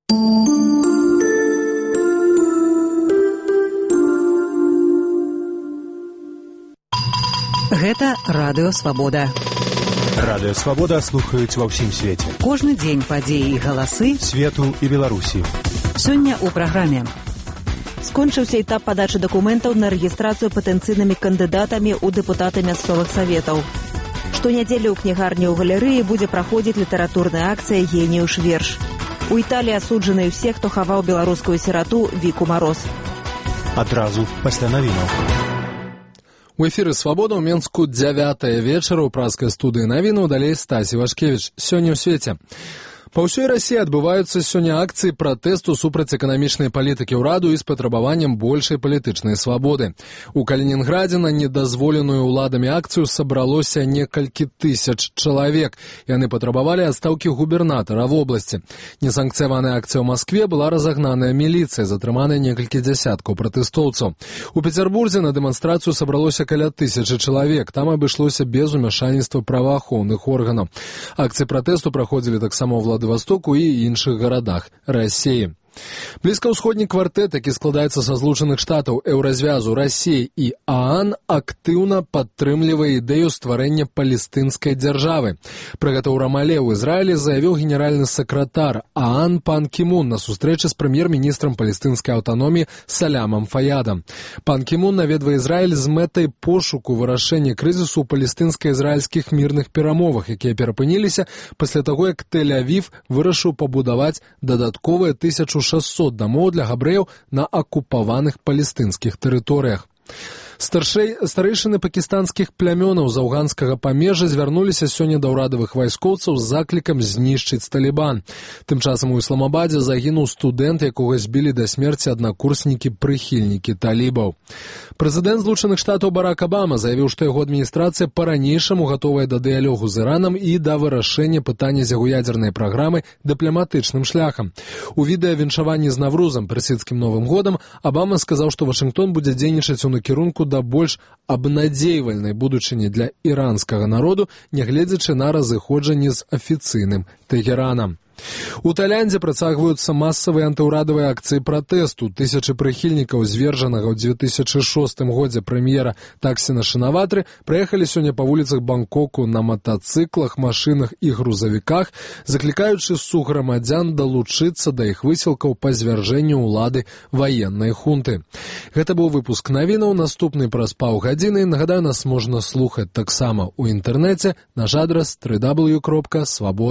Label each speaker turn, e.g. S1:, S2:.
S1: Гэта Радыё Свабода.
S2: Радыё Свабода слухаюць ва ўсім свеце.
S1: Кожны дзень падзеі і галасы
S2: свету і Беларусі.
S1: Сёння ў праграме. Скончыўся этап падачы дакументаў на рэгістрацыю патэнцыйнымі кандыдатамі ў дэпутаты мясцовых саветаў. Штонядзелю ў кнігарні ў галерэі будзе праходзіць літаратурная акцыя «Геніюш верш». У Італіі асуджаны ўсе, хто хаваў беларускую сірату Віку Мароз.
S2: Адразу пасля навінаў.
S3: У эфіры «Свабода» ў Менску 9 вечара ў праскай студыі навінаў, далей Стасі Вашкевіч. Сёння ў свеце. Па ўсёй Расіі адбываюцца сёння акцыі пратэсту супраць эканамічнай палітыкі ўраду і з патрабаваннем большай палітычнай свабоды. У Калінінградзе на недазволеную ўладамі акцыю сабралося некалькі тысяч чалавек. Яны патрабавалі адстаўкі губернатара вобласці. Несанкцыяваная акцыя ў Маскве была разагнаная міліцыяй, затрыманыя некалькі дзясяткаў пратэстоўцаў. У Пецярбурзе на дэманстрацыю сабралося каля 1000 чалавек. Там абышлося без умяшальніцтва праваахоўных органаў. Акцыі пратэсту праходзілі таксама ў Владывастоку і іншых гарадах Расіі. Блізкаўсходні квартэт, які складаецца са Злучаных Штатаў, Еўразвязу, Расіі і ААН, актыўна падтрымлівае ідэю стварэння палестынскай дзяржавы. Пра гэта ў Рамале ў Ізраілі заявіў генеральны сакратар ААН Пан Кі Мун на сустрэчы з прэм'ер-міністрам палестынскай аўтаноміі Салямам Фаядам. Пан Кі Мун наведвае Ізраіль з мэтай пошуку вырашэння крызісу ў палестынска-ізраільскіх мірных перамовах, якія перапыніліся пасля таго, як Тель-Авів вырашыў пабудаваць дадатковыя 1600 дамоў для габрэяў на акупаваных палестынскіх тэрыторыях. Старэйшыны пакістанскіх плямёнаў з афганскага памежжа звярнуліся сёння да ўрадавых вайскоўцаў з заклікам знішчыць Талібан. Тым часам у Ісламабадзе загінуў студэнт, якога збілі да смерці аднакурснікі-прыхільнікі талібаў. Прэзідэнт Злучаных Штатаў Барак Абама заявіў, што яго адміністрацыя па-ранейшаму гатовая да дыялогу з Іранам і да вырашэння пытання з яго ядзернай праграмы дыпламатычным шляхам. У відэавіншаванні з Наврузам, персідскім Новым годам, Абама сказаў, што Вашынгтон будзе дзейнічаць у накірунку да больш абнадзейвальнай будучыні для іранскага народу, нягледзячы на разыходжанне з афіцыйным Тэгеранам. У Тайландзе працягваюцца масавыя антыўрадавыя акцыі пратэсту. Тысячы прыхільнікаў звержанага ў 2006 годзе прэм'ера Таксіна Шынаватры прыехалі сёння па вуліцах Бангкоку на матацыклах, машынах і грузавіках, заклікаючы суграмадзян далучыцца да іх высілкаў па звяржэнню ўлады ваеннай хунты. Гэта быў выпуск навінаў, наступны праз паўгадзіны. Нагадаю, нас можна слухаць таксама ў інтэрнэце, наш адрас www.swabod.